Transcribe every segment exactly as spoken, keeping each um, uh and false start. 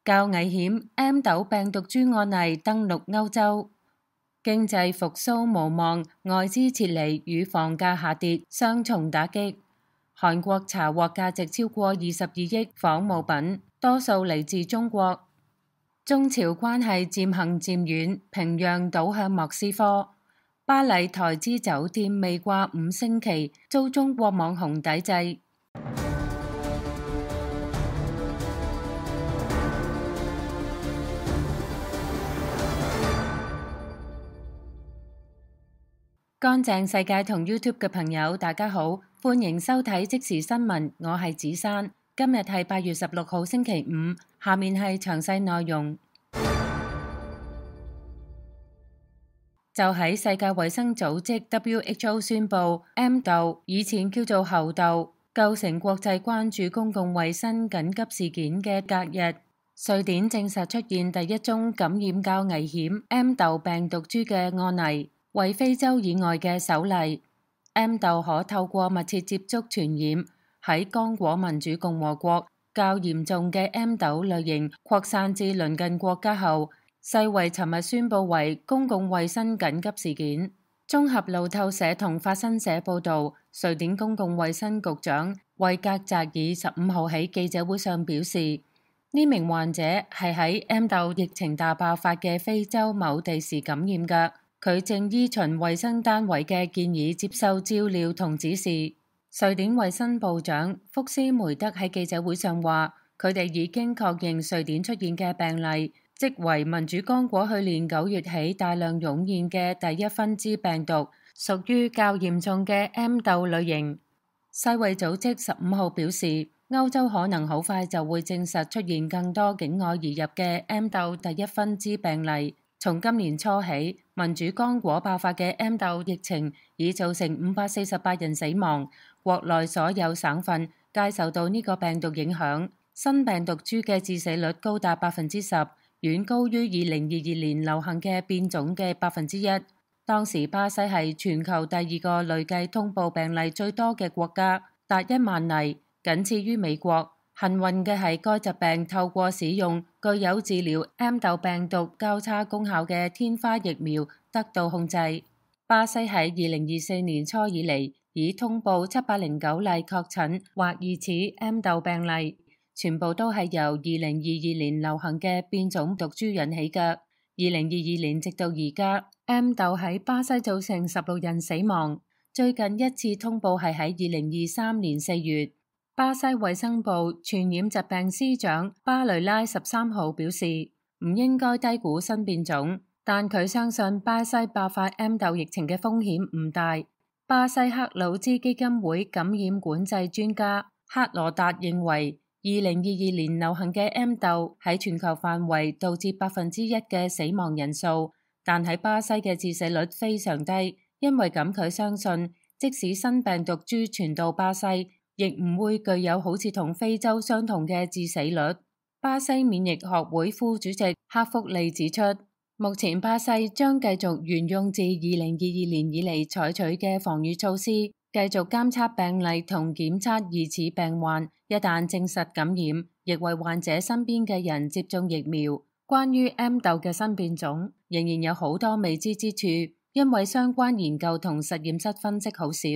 較危險 M 豆病毒株案例登陸歐洲，經濟復甦無望，外資撤離與房價下跌雙重打擊。韓國查獲價值超過二十二億仿冒品，多數嚟自中國。中朝關係漸行漸遠，平壤倒向莫斯科。巴黎台資酒店未掛五星旗，遭中國網紅抵制。乾淨世界同 YouTube 嘅朋友，大家好，歡迎收睇即時新聞，我係子珊。今日係八月十六號星期五，下面係詳細內容。就喺世界衛生組織 W H O 宣布 M 豆以前叫做猴痘構成國際關注公共衛生緊急事件嘅隔日，瑞典證實出現第一宗感染較危險 M 豆病毒株嘅案例。為非洲以外嘅首例。 M 豆可透過密切接觸傳染，喺剛果民主共和國較嚴重嘅 M 豆類型擴散至鄰近國家後，世衛尋日宣布為公共衛生緊急事件。綜合路透社同法新社報導，瑞典公共衛生局長維格澤爾十五號喺記者會上表示，呢名患者係喺 M 豆疫情大爆發嘅非洲某地時感染嘅。佢正依循衛生單位嘅建議接受照料同指示。瑞典衛生部長福斯梅德喺記者會上話，佢哋已經確認瑞典出現嘅病例，即為民主剛果去年九月起大量湧現嘅第一分支病毒，屬於較嚴重嘅 M 豆類型。世衛組織十五號表示，歐洲可能好快就會證實出現更多境外移入嘅 M 豆第一分支病例。從今年初起，民主剛果爆發嘅 M 豆疫情已造成五百四十八人死亡，國內所有省份皆受到呢個病毒影響。新病毒株嘅致死率高達百分之十，遠高於二零二二年流行嘅變種嘅百分之一。當時巴西係全球第二個累計通報病例最多嘅國家，達一萬例，僅次於美國。幸運嘅係，該疾病透過使用具有治療 M 豆病毒交叉功效嘅天花疫苗得到控制。巴西喺二零二四年初以嚟已通報七百零九例確診或疑似 M 豆病例，全部都係由二零二二年流行嘅變種毒株引起嘅。二零二二年直到而家 ，M 豆喺巴西造成十六人死亡。最近一次通報係喺二零二三年四月。巴西衛生部傳染疾病司長巴雷拉十三號表示，唔應該低估新變種，但佢相信巴西爆發 M 豆疫情嘅風險唔大。巴西克魯茲基金會感染管制專家克羅達認為，二零二二年流行嘅 M 豆喺全球範圍導致百分之一嘅死亡人數，但喺巴西嘅致死率非常低，因為咁佢相信，即使新病毒株傳到巴西，亦唔會具有好似同非洲相同嘅致死率。巴西免疫學會副主席克福利指出，目前巴西將繼續沿用自二零二二年以嚟採取嘅防禦措施，繼續監測病例同檢測疑似病患，一旦證實感染，亦為患者身邊嘅人接種疫苗。關於 M 豆嘅新變種，仍然有好多未知之處，因為相關研究同實驗室分析好少。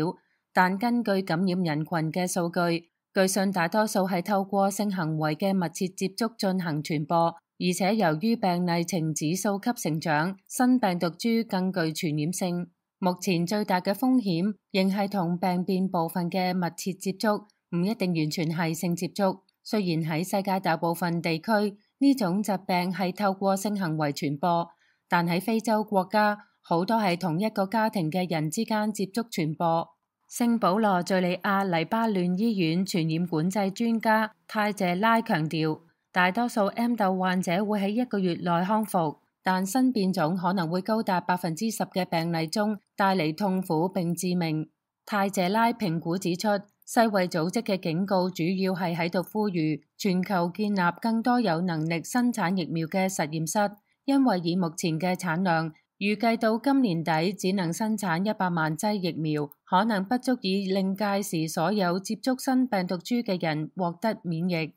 但根據感染人群嘅數據，據信大多數係透過性行為嘅密切接觸進行傳播，而且由於病例呈指數級成長，新病毒株更具傳染性。目前最大嘅風險仍係同病變部分嘅密切接觸，唔一定完全係性接觸。雖然喺世界大部分地區呢種疾病係透過性行為傳播，但喺非洲國家好多係同一個家庭嘅人之間接觸傳播。聖保羅敘利亞黎巴嫩醫院傳染管制專家泰謝拉強調，大多數 M 豆患者會喺一個月內康復，但新變種可能會高達百分之十嘅病例中帶嚟痛苦並致命。泰謝拉評估指出，世衛組織嘅警告主要係喺度呼籲全球建立更多有能力生產疫苗嘅實驗室，因為以目前嘅產量，預計到今年底只能生產一百萬劑疫苗，可能不足以令屆時所有接觸新病毒株嘅人獲得免疫。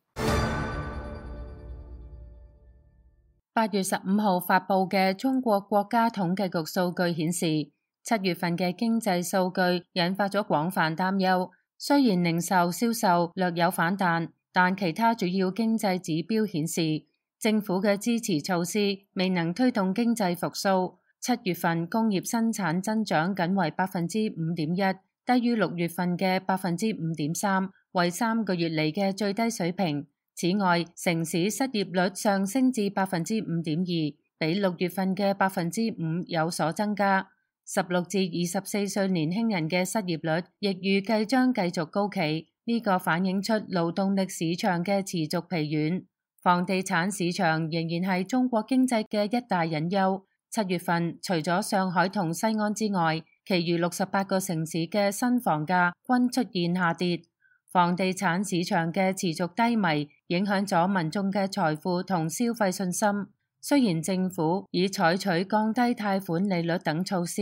八月十五號發布嘅中國國家統計局數據顯示，七月份嘅經濟數據引發咗廣泛擔憂。雖然零售銷售略有反彈，但其他主要經濟指標顯示，政府嘅支持措施未能推動經濟復甦。七月份工業生產增長僅為百分之五點一，低於六月份嘅百分之五點三，為三個月嚟嘅最低水平。此外，城市失業率上升至百分之五點二，比六月份嘅百分之五有所增加。十六至二十四歲年輕人嘅失業率亦預計將繼續高企，呢個反映出勞動力市場嘅持續疲軟。房地產市場仍然係中國經濟嘅一大隱憂。七月份除咗上海同西安之外，其餘六十八個城市嘅新房價均出現下跌。房地產市場嘅持續低迷影響咗民眾嘅財富同消費信心。雖然政府已採取降低貸款利率等措施，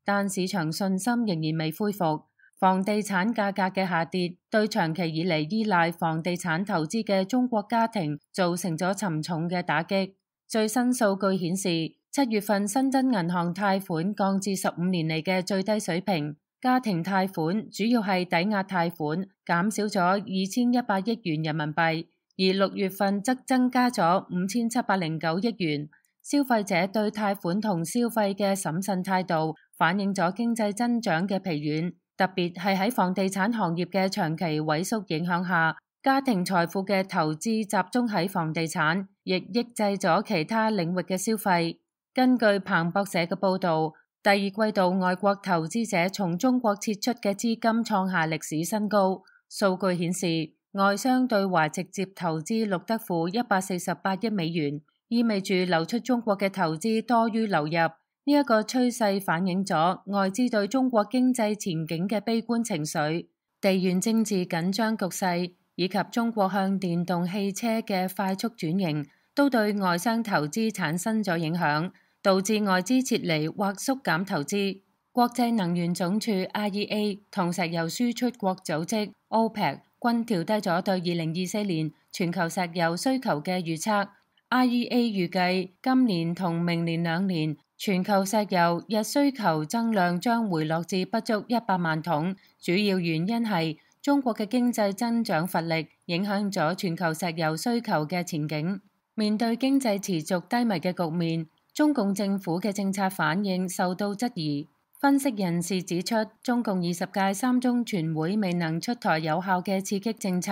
但市場信心仍然未恢復。房地產價格嘅下跌對長期以嚟依賴房地產投資嘅中國家庭造成咗沉重嘅打擊。最新數據顯示，七月份新增銀行貸款降至十五年嚟嘅最低水平。家庭貸款主要係抵押貸款，減少咗二千一百億元人民幣，而六月份則增加咗五千七百零九億元。消費者對貸款同消費嘅審慎態度，反映咗經濟增長嘅疲軟，特別係喺房地產行業嘅長期萎縮影響下，家庭財富嘅投資集中喺房地產，亦抑制咗其他領域嘅消費。根據彭博社嘅報導，第二季度外國投資者從中國撤出嘅資金創下歷史新高。數據顯示，外商對華直接投資錄得負一百四十八億美元，意味住流出中國嘅投資多於流入。呢一個趨勢反映咗外資對中國經濟前景嘅悲觀情緒。地緣政治緊張局勢以及中國向電動汽車嘅快速轉型，都對外商投資產生咗影響，導致外資撤離或縮減投資。國際能源總署 I E A 同石油輸出國組織 OPEC 均調低咗對二零二四年全球石油需求嘅預測。I E A 預計今年同明年兩年全球石油日需求增量將回落至不足一百萬桶，主要原因係中國嘅經濟增長乏力，影響咗全球石油需求嘅前景。面對經濟持續低迷嘅局面，中共政府嘅政策反應受到質疑。分析人士指出，中共二十屆三中全會未能出台有效嘅刺激政策，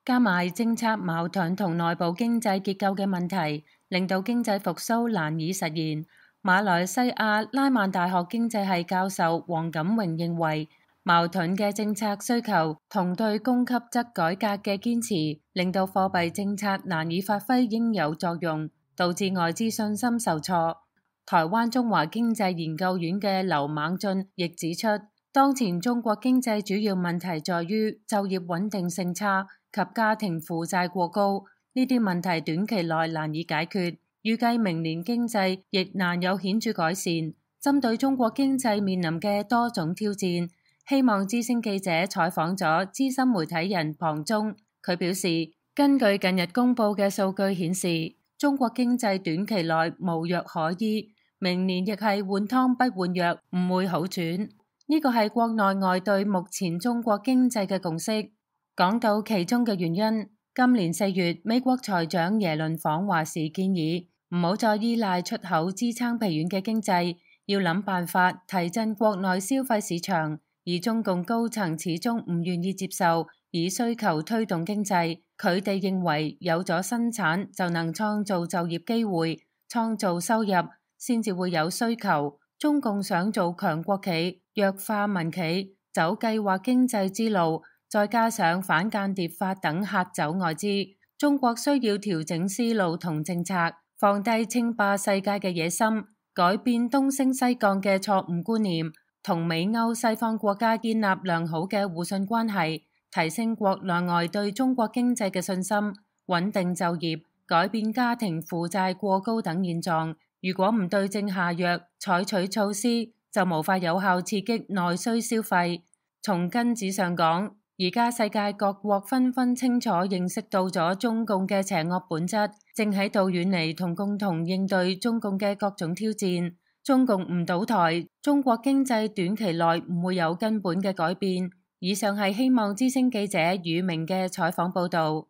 加埋政策矛盾同內部經濟結構嘅問題，令到經濟復甦難以實現。馬來西亞拉曼大學經濟系教授黃錦榮認為，矛盾嘅政策需求同對供給側改革嘅堅持，令到貨幣政策難以發揮應有作用，導致外資信心受挫。台灣中華經濟研究院嘅劉猛進亦指出，當前中國經濟主要問題在於就業穩定性差及家庭負債過高，呢啲問題短期內難以解決，預計明年經濟亦難有顯著改善。針對中國經濟面臨嘅多種挑戰，希望之聲記者採訪咗資深媒體人龐中，佢表示，根據近日公佈嘅數據顯示，中國經濟短期內無藥可醫，明年亦係換湯不換藥，唔會好轉。呢個係國內外對目前中國經濟嘅共識。講到其中嘅原因，今年四月美國財長耶倫訪華時建議，唔好再依賴出口支撐疲軟嘅經濟，要諗辦法提振國內消費市場。而中共高層始終唔願意接受以需求推動經濟，佢哋認為有咗生產就能創造就業機會，創造收入，先至會有需求。中共想做強國企，弱化民企，走計劃經濟之路，再加上反間諜法等嚇走外資，中國需要調整思路同政策，放低稱霸世界嘅野心，改變東升西降嘅錯誤觀念，同美歐西方國家建立良好嘅互信關係，提升國內外對中國經濟嘅信心，穩定就業，改變家庭負債過高等現狀。如果唔對症下藥，採取措施，就無法有效刺激內需消費。從根子上講，而家世界各國紛紛清楚認識到咗中共嘅邪惡本質，正喺度遠離同共同應對中共嘅各種挑戰。中共唔倒台，中國經濟短期內唔會有根本嘅改變。以上係希望之聲記者宇明嘅採訪報導。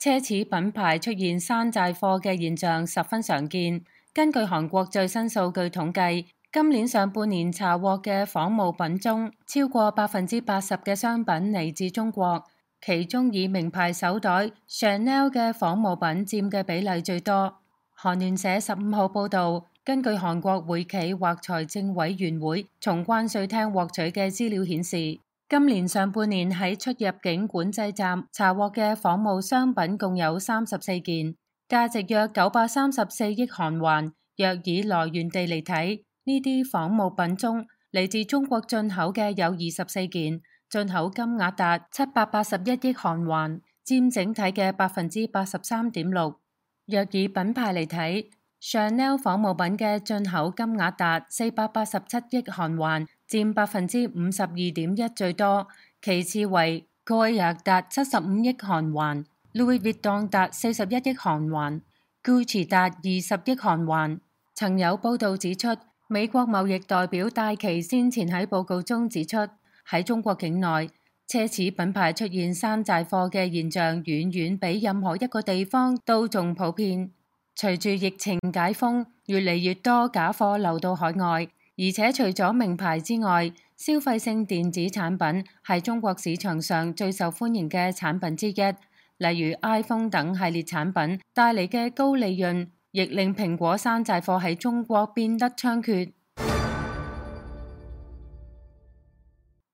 奢侈品牌出現山寨貨嘅現象十分常見。根據韓國最新數據統計，今年上半年查獲嘅仿冒品中，超過百分之八十嘅商品嚟自中國，其中以名牌手袋 Chanel 嘅仿冒品佔嘅比例最多。韓聯社十五號報導，根據韓國會企或財政委員會從關稅廳獲取嘅資料顯示，今年上半年喺出入境管制站查獲嘅仿冒商品共有三十四件，價值約九百三十四億韓元。若以來源地嚟睇，呢啲仿冒品中嚟自中國進口嘅有二十四件，進口金額達七百八十一億韓元，佔整體嘅百分之八十三點六。若以品牌嚟睇，Chanel 仿冒品嘅進口金額達四百八十七億韓元，佔百分之五十二點一最多，其次為 Goya 達七十五億韓元 ，Louis Vuitton 達四十一億韓元 ，Gucci 達二十億韓元。曾有報道指出，美國貿易代表戴琪先前喺報告中指出，喺中國境內奢侈品牌出現山寨貨嘅現象遠遠比任何一個地方都仲普遍。隨住疫情解封，越嚟越多假貨流到海外，而且除咗名牌之外，消費性電子產品係中國市場上最受歡迎嘅產品之一，例如 iPhone 等系列產品帶嚟嘅高利潤，亦令蘋果山寨貨喺中國變得猖獗。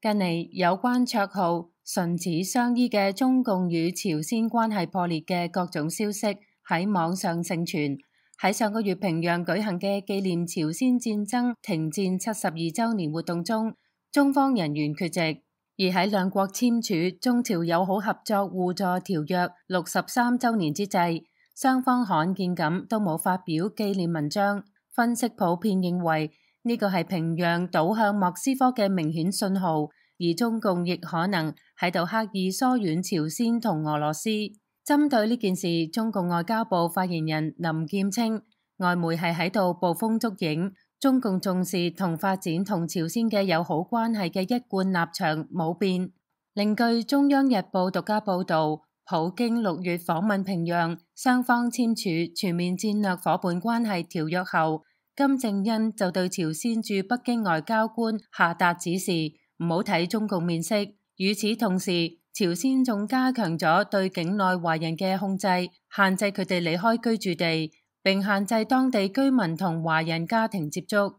近嚟有關綽號唇齒相依嘅中共與朝鮮關係破裂嘅各種消息喺網上盛傳。喺上個月平壤舉行嘅紀念朝鮮戰爭停戰七十二週年活動中，中方人員缺席。而喺兩國簽署中朝友好合作互助條約六十三週年之際，雙方罕見咁都冇發表紀念文章。分析普遍認為呢個係平壤倒向莫斯科嘅明顯信號，而中共亦可能喺度刻意疏遠朝鮮同俄羅斯。針對呢件事，中共外交部發言人林劍稱，外媒係喺度捕風捉影，中共重視同發展同朝鮮嘅友好關係嘅一貫立場冇變。另據中央日報獨家報導，普京六月訪問平壤，雙方簽署全面戰略夥伴關係條約後，金正恩就對朝鮮駐北京外交官下達指示，唔好睇中共面色。與此同時，朝鮮仲加強咗對境內華人嘅控制，限制佢哋離開居住地，並限制當地居民同華人家庭接觸。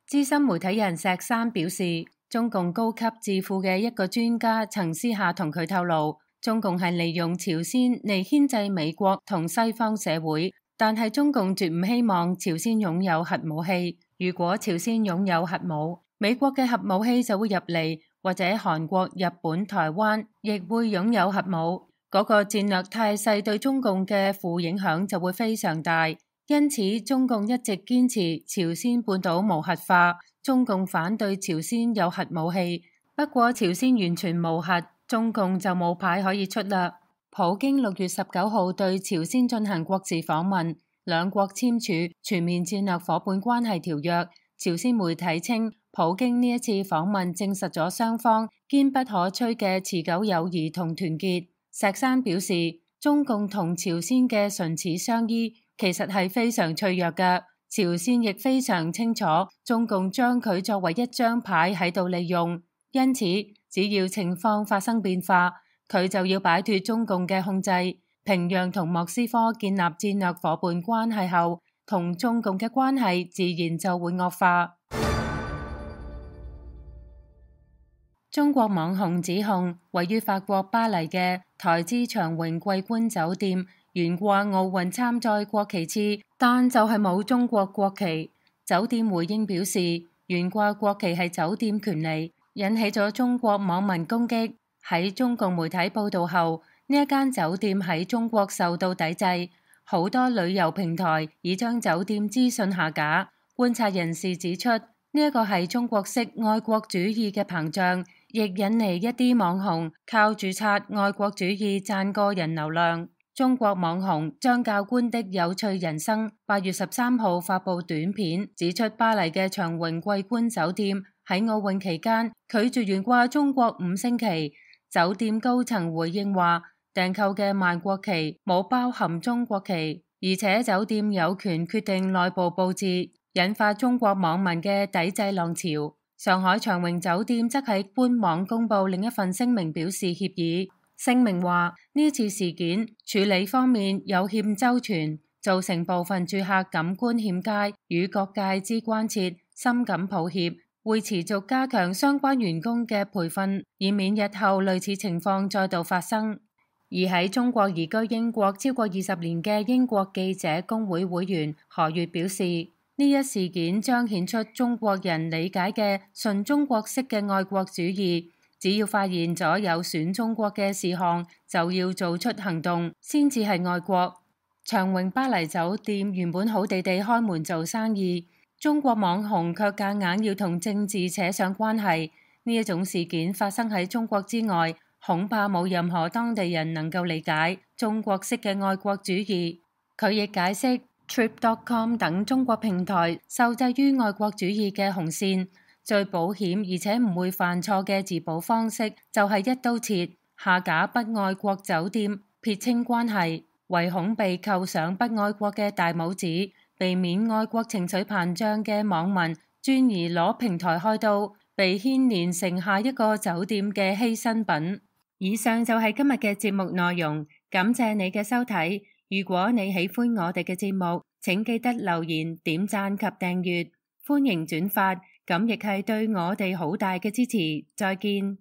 資深媒體人石山表示，中共高級智庫嘅一個專家曾私下同佢透露，中共係利用朝鮮嚟牽制美國同西方社會，但係中共絕唔希望朝鮮擁有核武器。如果朝鮮擁有核武，美國嘅核武器就會入嚟，或者韓國、日本、台灣亦會擁有核武。嗰個戰略態勢對中共嘅負影響就會非常大。因此，中共一直堅持朝鮮半島無核化。中共反對朝鮮有核武器，不過朝鮮完全無核，中共就冇牌可以出啦。普京六月十九號對朝鮮進行國事訪問，兩國簽署全面戰略夥伴關係條約。朝鮮媒體稱，普京呢一次訪問證實咗雙方堅不可摧嘅持久友誼同團結。石山表示，中共同朝鮮嘅唇齒相依其實係非常脆弱嘅，朝鮮亦非常清楚中共將佢作為一張牌喺度利用，因此只要情況發生變化，佢就要擺脫中共嘅控制。平壤同莫斯科建立戰略夥伴關係後，同中共嘅關係自然就會惡化。中國網紅指控位於法國巴黎嘅台資長榮桂冠酒店懸掛奧運參賽國旗幟，但就係冇中國國旗。酒店回應表示，懸掛國旗係酒店權利，引起咗中國網民攻擊。喺中共媒體報道後，呢一間酒店喺中國受到抵制，好多旅遊平台已將酒店資訊下架。觀察人士指出，呢呢一個係中國式愛國主義嘅膨脹，亦引嚟一啲網紅靠注冊愛國主義賺個人流量。中國網紅張教官的有趣人生八月十三號發布短片，指出巴黎嘅長榮桂冠酒店喺奧運期間拒絕懸掛中國五星旗。酒店高層回應話，訂購嘅萬國旗冇包含中國旗，而且酒店有權決定內部佈置，引發中國網民嘅抵制浪潮。上海長榮酒店則喺官網公布另一份聲明，表示歉意。聲明話呢次事件處理方面有欠周全，造成部分住客感官欠佳，與各界之關切，深感抱歉。會持續加強相關員工嘅培訓，以免日後類似情況再度發生。而喺中國移居英國超過二十年嘅英國記者工會會員何月表示，呢一事件彰顯出中國人理解嘅純中國式嘅愛國主義，只要發現咗有損中國嘅事項，就要做出行動，先至係愛國。長榮巴黎酒店原本好地地開門做生意，中國網紅卻夾硬要同政治扯上關係，呢一種事件發生喺中國之外，恐怕冇任何當地人能夠理解中國式嘅愛國主義。佢亦解釋 Trip dot com 等中國平台受制於愛國主義嘅紅線，最保險而且唔會犯錯嘅自保方式就係一刀切，下架不愛國酒店，撇清關係，唯恐被扣上不愛國嘅大帽子，避免愛國情緒膨脹嘅網民轉而攞平台開刀，被牽連成下一個酒店嘅犧牲品。以上就係今日嘅節目內容，感謝你嘅收睇。如果你喜歡我哋嘅節目，請記得留言、點讚及訂閱，歡迎轉發，咁亦係對我哋好大嘅支持。再見。